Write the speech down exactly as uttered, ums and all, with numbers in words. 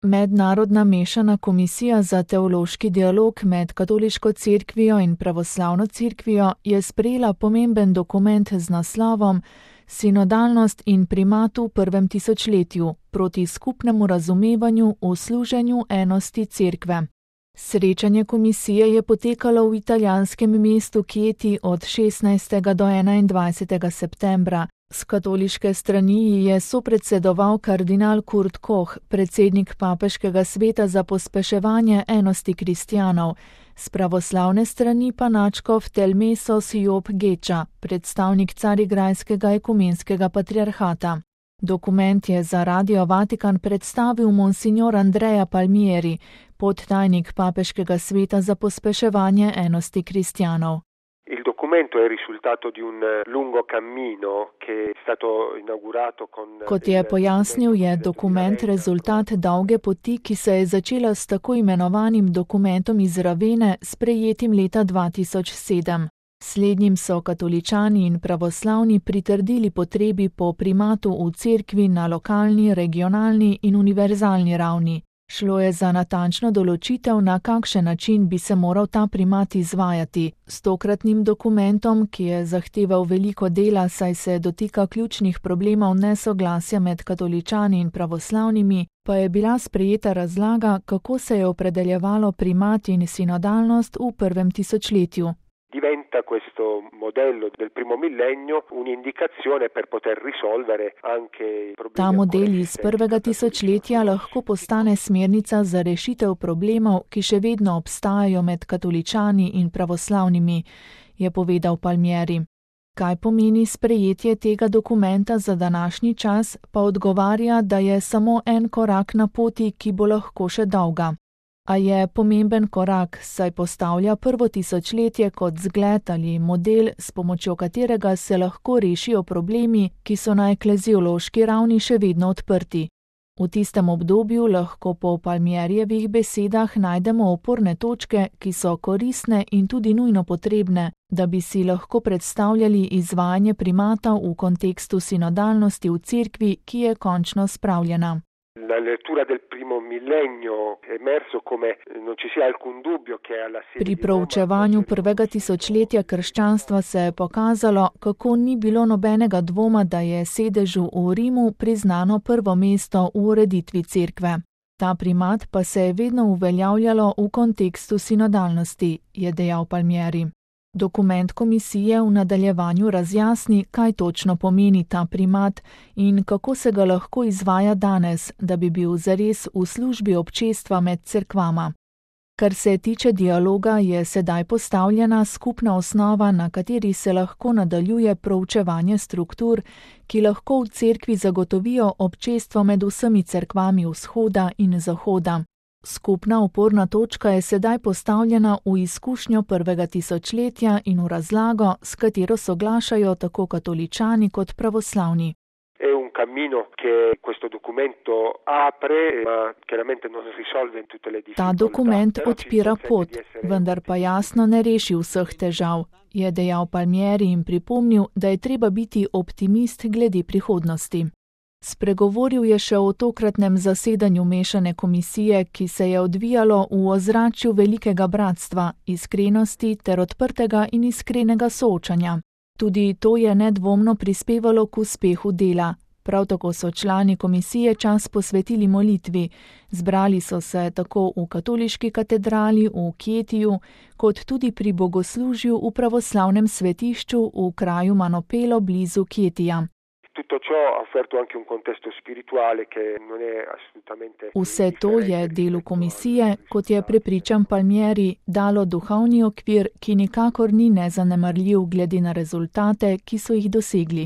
Mednarodna mešana komisija za teološki dialog med katoliško cerkvijo in pravoslavno cerkvijo je sprejela pomemben dokument z naslovom Sinodalnost in primat v prvem tisočletju proti skupnemu razumevanju o služenju enosti cerkve. Srečanje komisije je potekalo v italijanskem mestu Chieti od šestnajstega do enaindvajsetega septembra. S katoliške strani je sopredsedoval kardinal Kurt Koch, predsednik papeškega sveta za pospeševanje enosti kristjanov, s pravoslavne strani pa nadškof Telmesos Job Geča, predstavnik carigrajskega ekumenskega patriarhata. Dokument je za Radio Vatikan predstavil monsignor Andrea Palmieri, podtajnik papeškega sveta za pospeševanje enosti kristjanov. Il documento è il risultato di un lungo cammino che è stato inaugurato con... Kot je pojasnil, je dokument rezultat dolge poti, ki se je začela s tako imenovanim dokumentom iz Ravene, sprejetim leta dva tisoč sedem. Slednjim so katoličani in pravoslavni pritrdili potrebi po primatu v cerkvi na lokalni, regionalni in univerzalni ravni. Šlo je za natančno določitev, na kakšen način bi se moral ta primat izvajati. S tokratnim dokumentom, ki je zahteval veliko dela, saj se dotika ključnih problemov nesoglasja med katoličani in pravoslavnimi, pa je bila sprejeta razlaga, kako se je opredeljevalo primat in sinodalnost v prvem tisočletju. Diventa questo modello del primo millennio un'indicazione per poter risolvere anche i problemi. Ta model iz prvega tisočletja lahko postane smernica za rešitev problemov, ki še vedno obstajajo med katoličani in pravoslavnimi, je povedal Palmieri. Kaj pomeni sprejetje tega dokumenta za današnji čas, pa odgovarja, da je samo en korak na poti, ki bo lahko še dolga. A je pomemben korak, saj postavlja prvo tisočletje kot zgled ali model, s pomočjo katerega se lahko rešijo problemi, ki so na ekleziološki ravni še vedno odprti. V tistem obdobju lahko po Palmierjevih besedah najdemo oporne točke, ki so koristne in tudi nujno potrebne, da bi si lahko predstavljali izvajanje primata v kontekstu sinodalnosti v cerkvi, ki je končno spravljena. La lettura del primo millennio è emerso come non ci sia alcun dubbio che alla sede. Pri proučevanju prvega tisočletja krščanstva se je pokazalo, kako ni bilo nobenega dvoma, da je sedežu v Rimu priznano prvo mesto v ureditvi cerkve. Ta primat pa se je vedno uveljavljalo v kontekstu sinodalnosti, je dejal Palmieri. Dokument komisije v nadaljevanju razjasni, kaj točno pomeni ta primat in kako se ga lahko izvaja danes, da bi bil zares v službi občestva med cerkvama. Kar se tiče dialoga, je sedaj postavljena skupna osnova, na kateri se lahko nadaljuje proučevanje struktur, ki lahko v cerkvi zagotovijo občestvo med vsemi cerkvami vzhoda in zahoda. Skupna oporna točka je sedaj postavljena v izkušnjo prvega tisočletja in v razlago, s katero soglašajo tako katoličani kot pravoslavni. È un cammino che questo documento apre, ma chiaramente non risolve tutte le difficoltà. Ta dokument odpira pot, vendar pa jasno ne reši vseh težav, je dejal Palmieri in pripomnil, da je treba biti optimist glede prihodnosti. Spregovoril je še o tokratnem zasedanju mešane komisije, ki se je odvijalo v ozračju velikega bratstva, iskrenosti ter odprtega in iskrenega soočanja. Tudi to je nedvomno prispevalo k uspehu dela. Prav tako so člani komisije čas posvetili molitvi. Zbrali so se tako v katoliški katedrali v Chietiju, kot tudi pri bogoslužju v pravoslavnem svetišču v kraju Manopelo blizu Chietija. Tutto ciò ha offerto anche un contesto spirituale che non è assolutamente. Vse to je delu komisije, kot je prepričan Palmieri, dalo duhovni okvir, ki nikakor ni nezanemarljiv glede na rezultate, ki so jih dosegli.